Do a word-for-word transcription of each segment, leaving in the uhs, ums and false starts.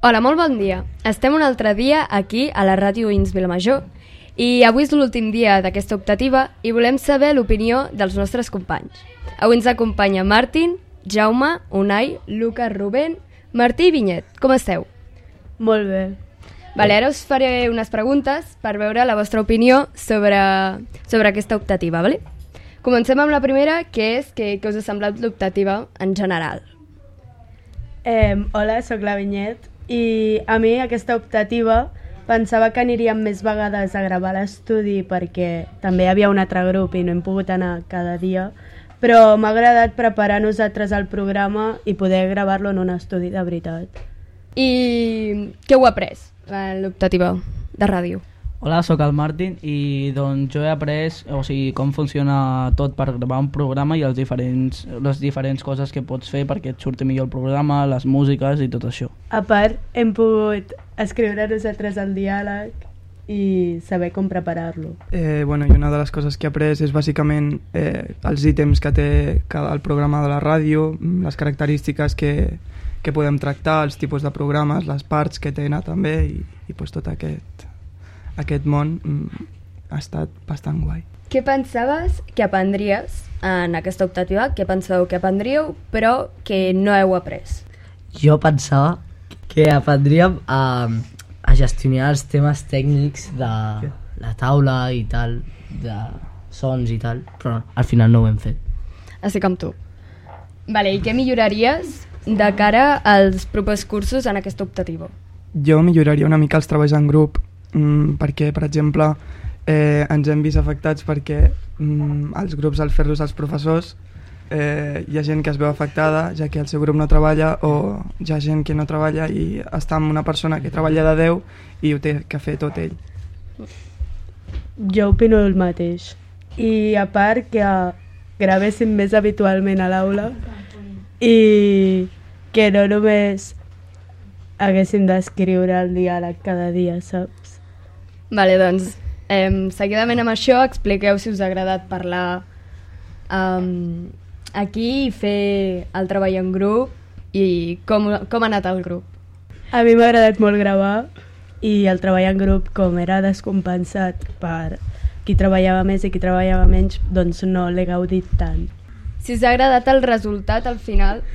Hola, molt bon dia. Estem un altre dia aquí a la ràdio Ins Vilamajor i avui és l'últim dia d'aquesta optativa i volem saber l'opinió dels nostres companys. Avui ens acompanya Martín, Jaume, Unai, Lucas, Rubén, Martí i Vinyet. Com esteu? Molt bé. Vale, ara us faré unes preguntes per veure la vostra opinió sobre, sobre aquesta optativa. Vale? Comencem amb la primera, que és que, que us ha semblat l'optativa en general. Eh, hola, sóc la Vinyet i a mi aquesta optativa pensava que aniríem més vegades a gravar a l'estudi perquè també hi havia un altre grup i no hem pogut anar cada dia, però m'ha agradat preparar nosaltres el programa i poder gravar-lo en un estudi de veritat. I què heu après en l'optativa de ràdio? Hola, sóc el Martín i doncs jo he après o sigui, com funciona tot per gravar un programa i els diferents, les diferents coses que pots fer perquè et surti millor el programa, les músiques i tot això. A part, hem pogut escriure nosaltres el diàleg i saber com preparar-lo. Eh, bueno, i una de les coses que he après és bàsicament eh, els ítems que té cada, el programa de la ràdio, les característiques que, que podem tractar, els tipus de programes, les parts que tenen també i, i pues, tot aquest, aquest món mm, ha estat bastant guai. Què pensaves que aprendries en aquesta optativa? Què penseu que aprendríeu però que no heu après? Jo pensava que aprendríem a, a gestionar els temes tècnics de la taula i tal, de sons i tal, però al final no ho hem fet. Així com tu. Vale, i què milloraries de cara als propers cursos en aquesta optativa? Jo milloraria una mica els treballs en grup mm, perquè, per exemple, eh, ens hem vist afectats perquè mm, els grups, al fer-los els professors, eh, hi ha gent que es veu afectada ja que el seu grup no treballa, o hi ha gent que no treballa i està amb una persona que treballa de deu i ho té que fer tot ell. Jo opino el mateix. I a part que gravéssim més habitualment a l'aula i que no només haguéssim d'escriure el diàleg cada dia, saps? Vale, doncs, eh, seguidament amb això, expliqueu si us ha agradat parlar um, aquí i fer el treball en grup i com, com ha anat el grup. A mi m'ha agradat molt gravar i el treball en grup, com era descompensat per qui treballava més i qui treballava menys, doncs no l'he gaudit tant. Si us ha agradat el resultat al final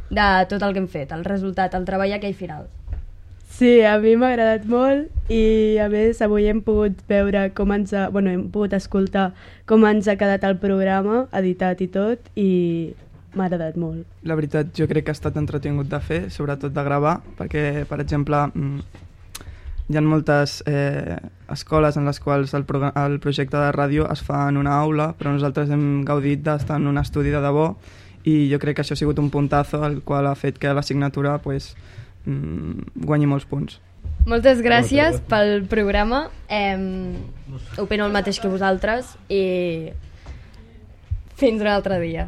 de tot el que hem fet, el resultat, el treball aquell final. Sí, a mi m'ha agradat molt i a més avui hem pogut veure com ens ha, bueno, hem pogut escoltar com ens ha quedat el programa, editat i tot, i m'ha agradat molt. La veritat, jo crec que ha estat entretingut de fer, sobretot de gravar, perquè, per exemple, hi ha moltes eh, escoles en les quals el, pro el projecte de ràdio es fa en una aula, però nosaltres hem gaudit d'estar en un estudi de debò i jo crec que això ha sigut un puntazo el qual ha fet que l'assignatura pues, guanyi molts punts. Moltes gràcies pel programa. Eh, opino el mateix que vosaltres i fins un altre dia.